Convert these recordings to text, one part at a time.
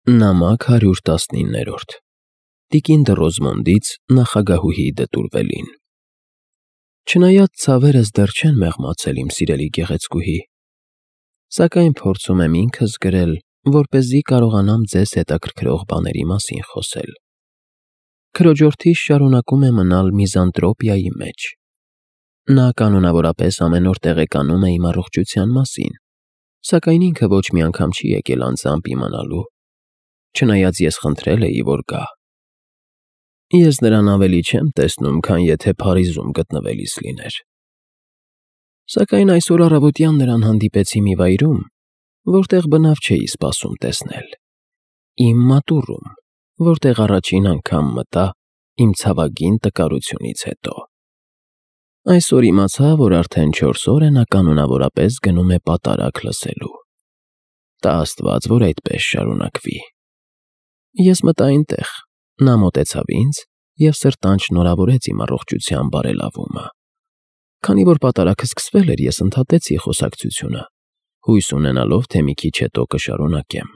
Նամակ 119 Տիկին Դռոզմոնդից նախագահուհի Դտուրվելին Չնայած ցավերս դեռ չեն մեղմացել, իմ սիրելի գեղեցկուհի, սակայն փորձում եմ ինքս գրել, որպեսզի կարողանամ ձեզ հետաքրքրող բաների մասին խոսել։ Քրոջորդիս շարունակում է մնալ միզանտրոպիայի մեջ։ Նա կանոնավորապես ամեն օր տեղեկանում է իմ առողջության մասին, սակայն ինքը ոչ մի անգամ չի եկել անձամբ իմանալու, չնայած ես խնդրել էի, որ գա։ Ես նրան ավելի չեմ տեսնում, քան եթե Փարիզում գտնվելիս լիներ։ Սակայն այսօր առավոտյան նրան հանդիպեցի մի վայրում, որտեղ բնավ չէի սպասում տեսնել։ Իմ մատուռում, որտեղ առաջին անգամ մտա իմ ցավագին տկարությունից հետո։ Այսօր իմացա, որ արդեն 4 օր է նա կանոնավորապես գնում է պատարագ լսելու։ Տա Աստված, որ այդպես շարունակվի։ Ես մտա այնտեղ, նա մոտեցավ ինձ և սրտանց շնորհավորեց իմ առողջության բարելավումը։ Քանի որ պատարագը սկսվել էր, ես ընդհատեցի խոսակցությունը, հույս ունենալով, թե մի քիչ հետո կշարունակեմ։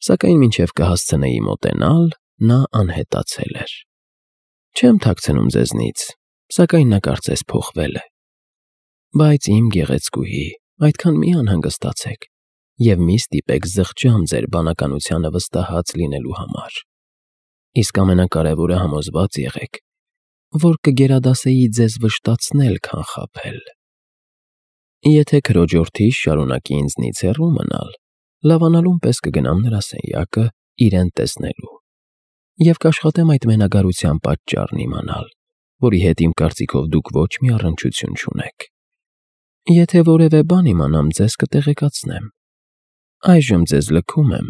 Սակայն մինչև կհասցնեի մոտենալ, նա անհետացել էր։ Չեմ թաքցնում ձեզնից, սակայն նա կարծես փոխվել է։ Բայց իմ գեղեցկուհի, այդքան մի անհանգստացեք և մի ստիպեք զղջամ ձեր բանականությանը վստահած լինելու համար։ Իսկ ամենակարևորը համոզված եղեք, որ կգերադասեի ձեզ վշտացնել, քան խաբել։ Եթե քրոջորդիս շարունակի ինձնից հեռու մնալ, լավանալուն պես կգնամ նրա սենյակը իրեն տեսնելու և կաշխատեմ այդ մենագարության պատճառն իմանալ, որի հետ իմ կարծիքով դուք ոչ մի առնչություն չունեք։ Եթե որևէ բան իմանամ, ձեզ կտեղեկացնեմ։ Այժմ ձեզ լքում եմ,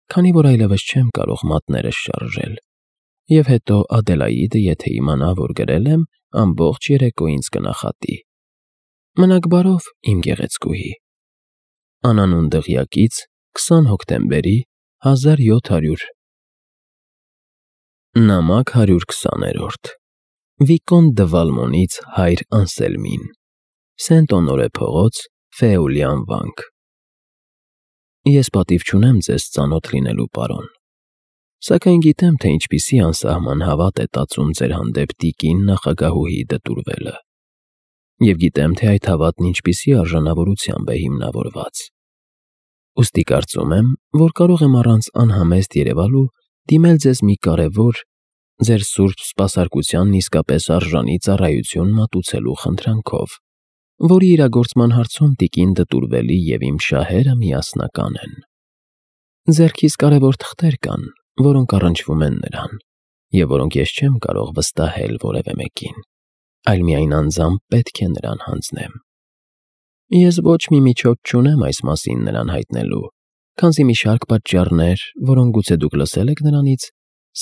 քանի որ այլևս չեմ կարող մատներս շարժել, և հետո Ադելաիդը, եթե իմանա, որ գրել եմ, ամբողջ երեկո ինձ կնախատի։ Մնաք բարով, իմ գեղեցկուհի։ Անանուն դղյակից 20 հոկտեմբերի 1700 Նամակ 120 Վիկոն դը Վալմոնից հայր Անսելմին Սենտ-Օնորե փողոց, Ֆեուլյան վանք Ես պատիվ չունեմ ձեզ ծանոթ լինելու, պարոն, սակայն գիտեմ, թե ինչպիսի անսահման հավատ է տածում ձեր հանդեպ տիկին նախագահուհի Դտուրվելը, և գիտեմ, թե այդ հավատն ինչպիսի արժանավորությամբ է հիմնավորված։ Ուստի կարծում եմ, որ կարող եմ առանց անհամեստ երևալու դիմել ձեզ մի կարևոր, ձեր սուրբ սպասարկությանն իսկապես արժանի ծառայություն մատուցելու խնդրանքով, որի իրագործման հարցում տիկին Դտուրվելի և իմ շահերը միասնական են։ Ձեռքիս կարևոր թղթեր կան, որոնք առնչվում են նրան, և որոնք ես չեմ կարող վստահել որևէ մեկին, այլ միայն անձամբ պետք է նրան հանձնեմ։ Ես ոչ մի միջոց չունեմ այս մասին նրան հայտնելու, քանզի մի շարք պատճառներ, որոնք գուցե դուք լսել եք նրանից,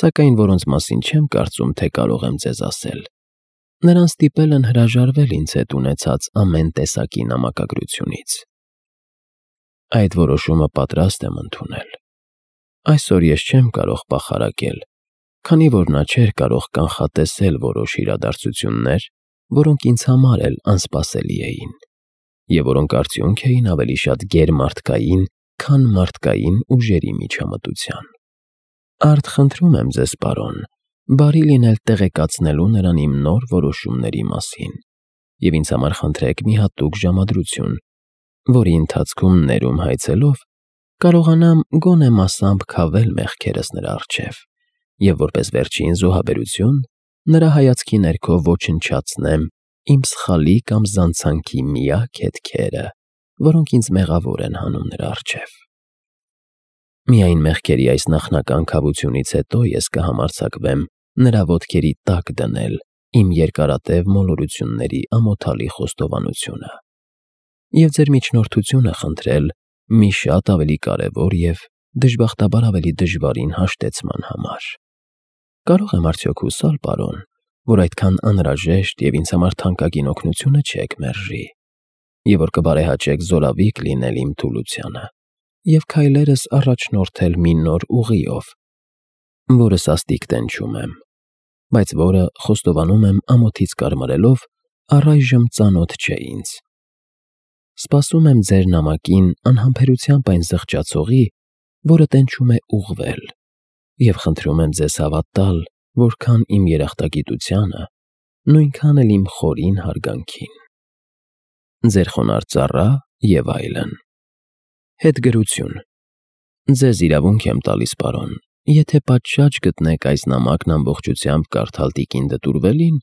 սակայն որոնց մասին չեմ կարծում, թե կարող եմ ձեզ ասել, նրան ստիպել են հրաժարվել ինձ հետ ունեցած ամեն տեսակի նամակագրությունից։ Այդ որոշումը պատրաստ եմ ընդունել։ Այսօր ես չեմ կարող պախարակել, քանի որ նա չէր կարող կանխատեսել որոշ իրադարձություններ, որոնք ինձ համար էլ անսպասելի էին, և որոնք արդյունք էին ավելի շատ գերմարդկային, քան մարդկային ուժերի միջամտության։ Արդ խնդրում եմ ձեզ, պարոն, բարի լինել տեղեկացնելու նրան իմ նոր որոշումների մասին, և ինձ համար խնդրեք մի հատուկ ժամադրություն, որի ընթացքում ներում հայցելով կարողանամ գոնե մասամբ քավել մեղքերս նրա առջև և որպես վերջին զոհաբերություն նրա հայացքի ներքո ոչնչացնեմ իմ սխալի կամ զանցանքի միակ հետքերը, որոնք ինձ մեղավոր են հանում նրա առջև։ Միայն մեղքերի այս նախնական քավությունից հետո ես կհամարձակվեմ նրա ոտքերի տակ դնել իմ երկարատև մոլորությունների ամոթալի խոստովանությունը և ձեր միջնորդությունը խնդրել մի շատ ավելի կարևոր և, դժբախտաբար, ավելի դժվարին հաշտեցման համար։ Կարող եմ արդյոք հուսալ, պարոն, որ այդքան անհրաժեշտ և ինձ համար թանկագին օգնությունը չեք մերժի, և որ կբարեհաճեք զորավիք լինել իմ թուլությանը և քայլերս առաջնորդել մի նոր ուղիով, որը սաստիկ տենչում եմ, բայց որը, խոստովանում եմ ամոթից կարմարելով, առայժմ ծանոթ չէ ինձ։ Սպասում եմ ձեր նամակին անհամբերությամբ այն զղջացողի, որը տենչում է ուղղվել, և խնդրում եմ ձեզ հավատ տալ, որքան իմ երախտագիտությանը, նույնքան էլ իմ խորին հարգանքին։ Ձեր խոնարհ ծառա և այլն։ Հետգրություն։ Ձեզ իրավունք եմ տալիս, պարոն, եթե պատշաճ գտնեք այս նամակն ամբողջությամբ կարդալ տիկին Դտուրվելին,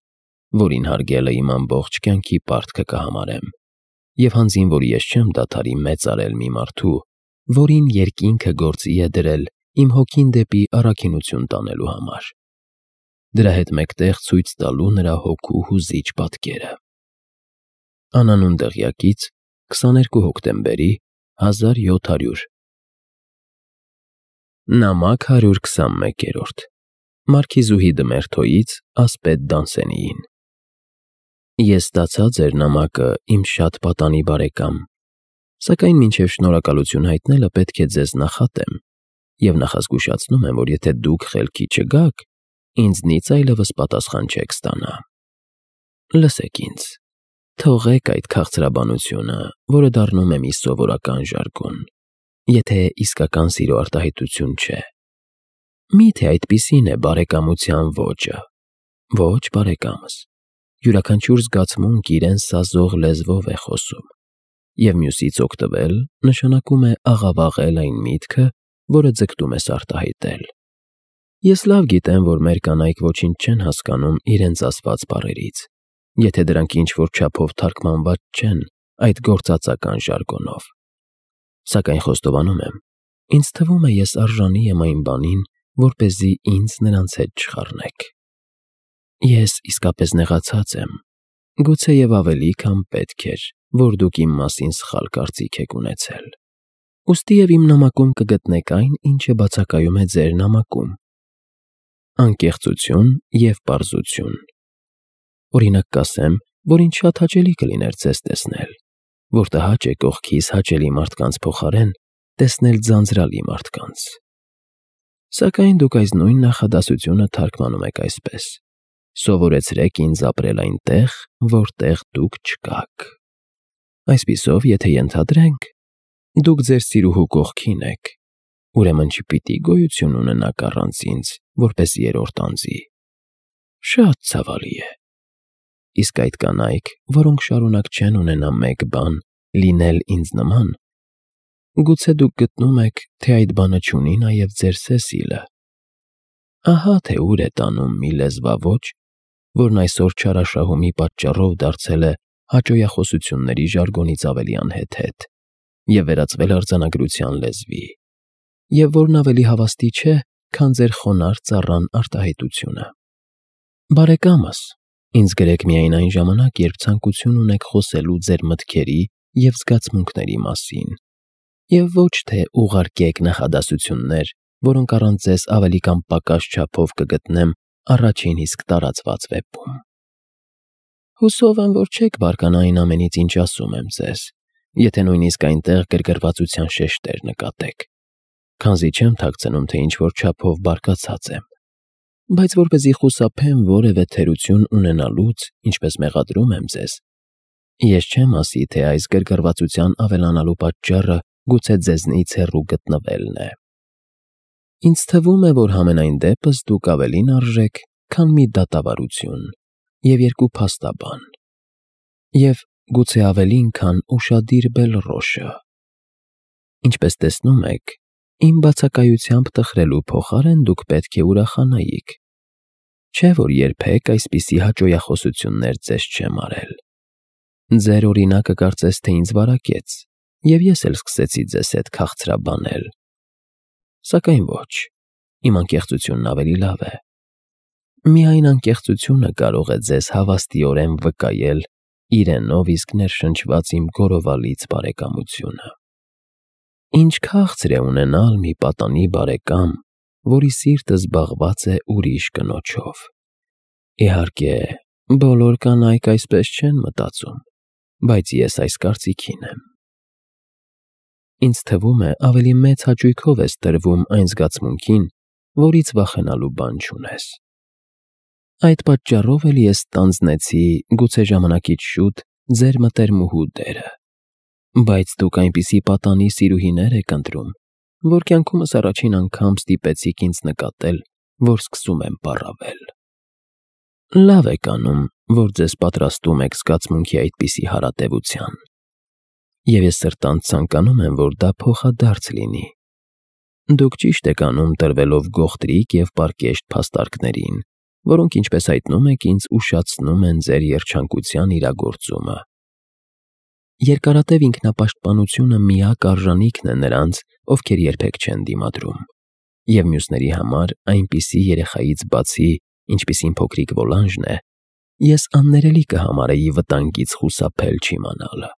որին հարգելը իմ ամբողջ կյանքի պարտքը կհամարեմ, և հանձին, որ ես չեմ դադարի մեծարել մի մարդու, որին երկինքը գործի է դրել իմ հոգին դեպի առաքինություն տանելու համար, դրա հետ մեկտեղ ցույց տալու նրա հոգու հուզիչ պատկերը։ Անանուն դղյակից 22 հոկտեմբերի 1700։ Նամակ 121-րդ Մարքիզուհի Դմերթոյից ասպետ Դանսենիին։ Ես ստացա ձեր նամակը, իմ շատ պատանի բարեկամ, սակայն մինչև շնորհակալություն հայտնելը պետք է ձեզ նախատեմ, և նախազգուշացնում եմ, որ եթե դուք խելքի չգաք, ինձնից այլևս պատասխան չեք ստանա։ Լսեք ինձ, թողեք այդ քաղցրաբանությունը, որը դառնում է մի սովորական ժարգոն, եթե իսկական սիրո արտահայտություն չէ։ Միթե այդպիսին է բարեկամության ոճը։ Ոչ, բարեկամս, յուրաքանչյուր զգացմունք իրեն սազող լեզվով է խոսում, և մյուսից օգտվել նշանակում է աղավաղել այն միտքը, որը ձգտում ես արտահայտել։ Ես լավ գիտեմ, որ մեր կանայք ոչինչ չեն հասկանում իրենց ասված բառերից, եթե դրանք ինչ-որ չափով թարգմանված չեն այդ գործածական ժարգոնով։ Սակայն խոստովանում եմ, ինձ թվում է, ես արժանի եմ այն բանին, որպեսզի ինձ նրանց հետ չխառնեք։ Ես իսկապես նեղացած եմ, գուցեև ավելի, քան պետք էր, որ դուք իմ մասին սխալ կարծիք եք ունեցել։ Ուստիև իմ նամակում կգտնեք այն, ինչը բացակայում է ձեր նամակում. անկեղծություն և պարզություն։ Օրինակ կասեմ, որ ինձ շատ հաճելի կլիներ ձեզ տեսնել, որ տհաճ է կողքիս հաճելի մարդկանց փոխարեն տեսնել ձանձրալի մարդկանց։ Սակայն դուք այս նույն նախադասությունը թարգմանում եք այսպես. սովորեցրեք ինձ ապրել այնտեղ, որտեղ դուք չկաք։ Այսպիսով, եթե ենթադրենք, դուք ձեր սիրուհու կողքին եք, ուրեմն չպիտի գոյություն ունենաք առանց ինձ, որպես երրորդ անձի։ Շատ ցավալի է։ Իսկ այդ կանայք, որոնք շարունակ չեն ունենա մեկ բան, լինել ինձ նման, գուցե դուք գտնում եք, թե այդ բանը չունի նաև ձեր Սեսիլը։ Ահա թե ուր է տանում մի լեզվաոճ, որն այսօր չարաշահումի պատճառով դարձել է հաճոյախոսությունների ժարգոնից ավելի անհեթեթ և վերածվել արձանագրության լեզվի, և որն ավելի հավաստի չէ, քան ձեր խոնարհ ծառան արտահայտությունը։ Բարեկամս, ինձ գրեք միայն այն ժամանակ, երբ ցանկություն ունեք խոսելու ձեր մտքերի և զգացմունքների մասին, և ոչ թե ուղարկեք նախադասություններ, որոնք առանց ձեզ ավելի կամ պակաս չափով կգտնեմ առաջին իսկ տարածված վեպում։ Հուսով եմ, որ չեք բարկանա այն ամենից, ինչ ասում եմ ձեզ, եթե նույնիսկ այնտեղ գրգռվածության շեշտեր նկատեք, քանզի չեմ թաքցնում, թե ինչ-որ չափով բարկացած եմ, բայց որպեսզի խուսափեմ որևէ թերություն ունենալուց, ինչպես մեղադրում եմ ձեզ, ես չեմ ասի, թե այս գրգռվածության ավելանալու պատճառը գուցե ձեզնից հեռու գտնվելն է։ Ինձ թվում է, որ համենայն դեպս դուք ավելին արժեք, քան մի դատավարություն և երկու փաստաբան, և գուցե ավելին, քան ուշադիր բելռոշը։ Ինչպես տեսնում եք, իմ բացակայությամբ տխրելու փոխարեն դուք պետք է ուրախանայիք, չէ՞ որ երբեք այսպիսի հաճոյախոսություններ ձեզ չեմ արել։ Ձեր օրինակը կարծես թե ինձ վարակեց, և ես էլ սկսեցի ձեզ հետ քաղցրաբանել։ Սակայն ոչ, իմ անկեղծությունն ավելի լավ է։ Միայն անկեղծությունը կարող է ձեզ հավաստիորեն վկայել իրենով իսկ ներշնչված իմ գորովալից բարեկամությունը։ Ինչ քաղցր է ունենալ մի պատանի բարեկամ, որի սիրտը զբաղված է ուրիշ կնոջով։ Իհարկե, բոլոր կանայք այսպես չեն մտածում, բայց ես այս կարծիքին եմ։ Ինձ թվում է, ավելի մեծ հաճույքով ես տրվում այն զգացմունքին, որից վախենալու բան չունես։ Այդ պատճառով էլ ես ստանձնեցի, գուցե ժամանակից շուտ, ձեր մտերմուհու դերը։ Բայց դուք այնպիսի պատանի սիրուհիներ եք ընտրում, որ կյանքումս առաջին անգամ ստիպեցիք ինձ նկատել, որ սկսում եմ պառավել։ Լավ եք անում, որ ձեզ պատրաստում եք զգացմունքի այդպիսի հարատևության։ Եվ ես սրտանց ցանկանում եմ, որ դա փոխադարձ լինի։ Դուք ճիշտ եք անում տրվելով գողտրիկ և պարկեշտ փաստարկներին, որոնք, ինչպես հայտնում եք, ինձ ուշացնում են ձեր երջանկության իրագործումը։ Երկարատև ինքնապաշտպանությունը միակ արժանիքն է նրանց, ովքեր երբեք չեն դիմադրում, և մյուսների համար այնպիսի երեխայից բացի, ինչպիսին փոքրիկ Վոլանժն է, ես աններելի կհամարեի վտանգից խուսափել չիմանալը,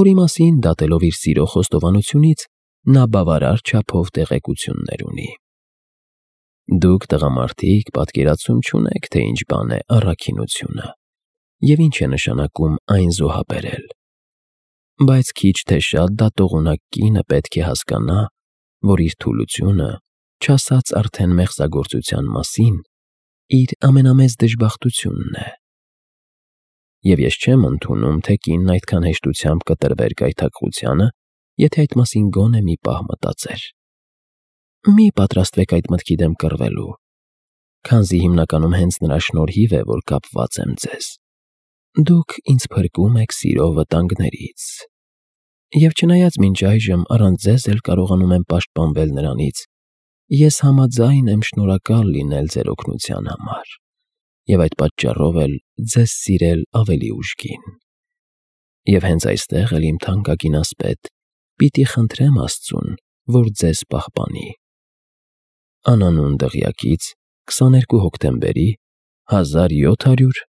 որի մասին, դատելով իր սիրո խոստովանությունից, նա բավարար չափով տեղեկություններ ունի։ Դուք տղամարդիկ պատկերացում չունեք, թե ինչ բան է առաքինությունը և ինչ է նշանակում այն զոհաբերել, բայց քիչ թե շատ դատողունակ կինը պետք է հասկանա, որ իր թուլությունը, չասած արդեն մեղսագործության մասին, իր ամենամեծ դժբախտությունն է։ Եվ ես չեմ ընդունում, թե կինն այդքան հեշտությամբ կտրվեր գայթակղությանը, եթե այդ մասին գոնե մի պահ մտածեր։ Մի պատրաստվեք այդ մտքի դեմ կռվելու, քանզի հիմնականում հենց նրա շնորհիվ է, որ կապված եմ ձեզ։ Դուք ինձ փրկում եք սիրո վտանգներից, և չնայած մինչ այժմ առանց ձեզ էլ կարողանում եմ պաշտպանվել նրանից, ես համաձայն եմ շնորհակալ լինել ձեր օգնության համար և այդ պատճառով էլ ձեզ սիրել ավելի ուժգին։ Եվ հենց այստեղ էլ իմ թանկագին ասպետ, պիտի խնդրեմ Աստծուն, որ ձեզ պահպանի։ Անանուն դղյակից 22 հոկտեմբերի 1700